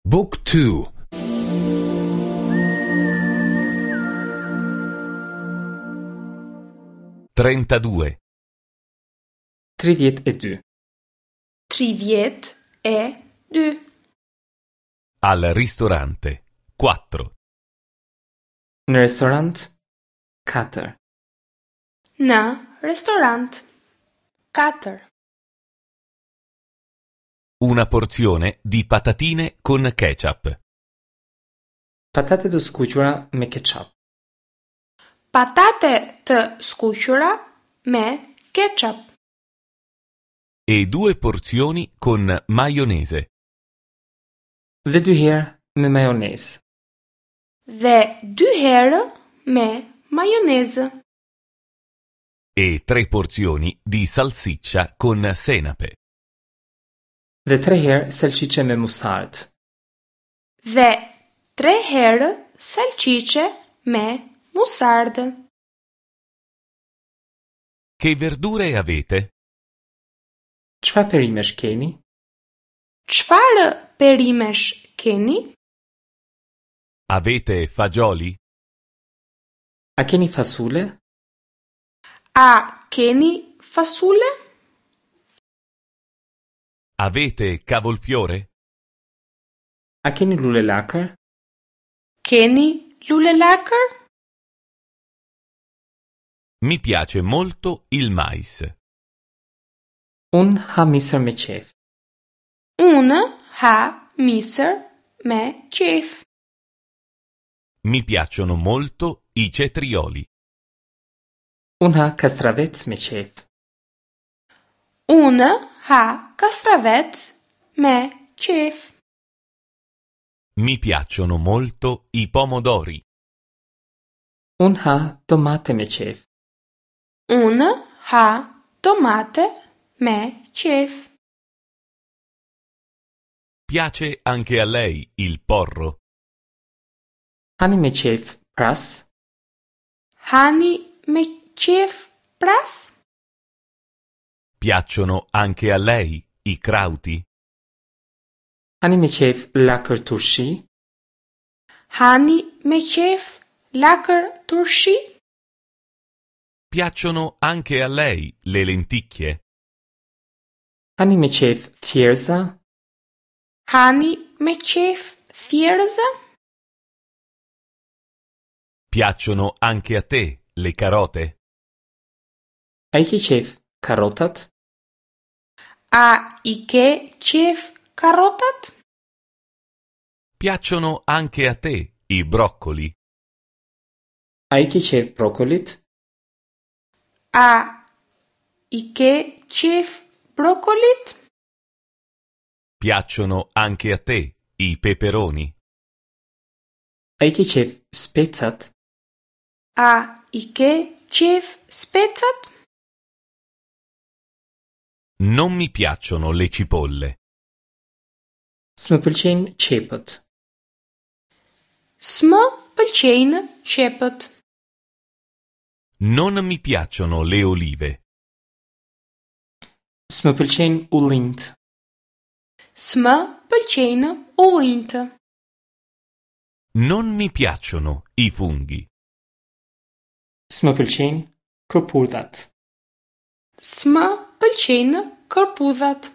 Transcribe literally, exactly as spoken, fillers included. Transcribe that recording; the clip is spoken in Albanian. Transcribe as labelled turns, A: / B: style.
A: Book two.
B: Trentadue.
C: Tridhjetë e dy.
D: Tridhjetë e dy.
B: Al ristorante. Quattro.
C: Në restorant katër.
D: Në restorant katër.
B: Una porzione di patatine con ketchup.
C: Patate të skuqura me ketchup.
D: Patate të skuqura me ketchup.
B: E due porzioni con maionese.
C: Dhe dy herë me majonezë.
D: Dhe dy herë me majonezë.
B: E tre porzioni di salsiccia con senape.
C: Dhe tre herë salcice me musard.
D: Dhe tre herë salcice me musard.
B: Che verdure avete?
C: Çfarë perimesh keni?
D: Çfarë perimesh keni?
B: Avete fagioli?
C: A keni fasule?
D: A keni fasule?
B: Avete cavolfiore?
C: A keni lule lakër?
D: Keni lule lakër?
B: Mi piace molto il mais.
C: Unë ha misër me qef.
D: Unë ha misër me qef.
B: Mi piacciono molto i cetrioli.
C: Unë ha kastravec me qef.
D: Unë ha kastravec me qef.
B: Mi piacciono molto i pomodori.
C: Unë ha domate me qef.
D: Unë ha domate me qef.
B: Piace anche a lei il porro?
C: Hani me qef pras?
D: Hani me qef pras?
B: Piacciono anche a lei i crauti?
C: Hani me qef lakër turshi?
D: Hani me qef lakër turshi?
B: Piacciono anche a lei le lenticchie?
C: Hani me qef thjerza?
D: Hani me qef thjerza?
B: Piacciono anche a te le carote?
C: A i ke qef karotat?
D: A i ke qef karotat?
B: Piacciono anche a te i broccoli?
C: A i ke qef brokolit?
D: A i ke qef brokolit?
B: Piacciono anche a te i peperoni?
C: A i ke qef specat?
D: A i ke qef specat?
B: Non mi piacciono le cipolle.
C: S'më pëlqejnë qepët.
D: S'më pëlqejnë qepët.
B: Non mi piacciono le olive.
C: S'më pëlqejnë ullinjt.
D: S'më pëlqejnë ullinjt.
B: Non mi piacciono i funghi.
C: S'më pëlqejnë kërpudhat.
D: S'më pëlqejnë kërpudhat.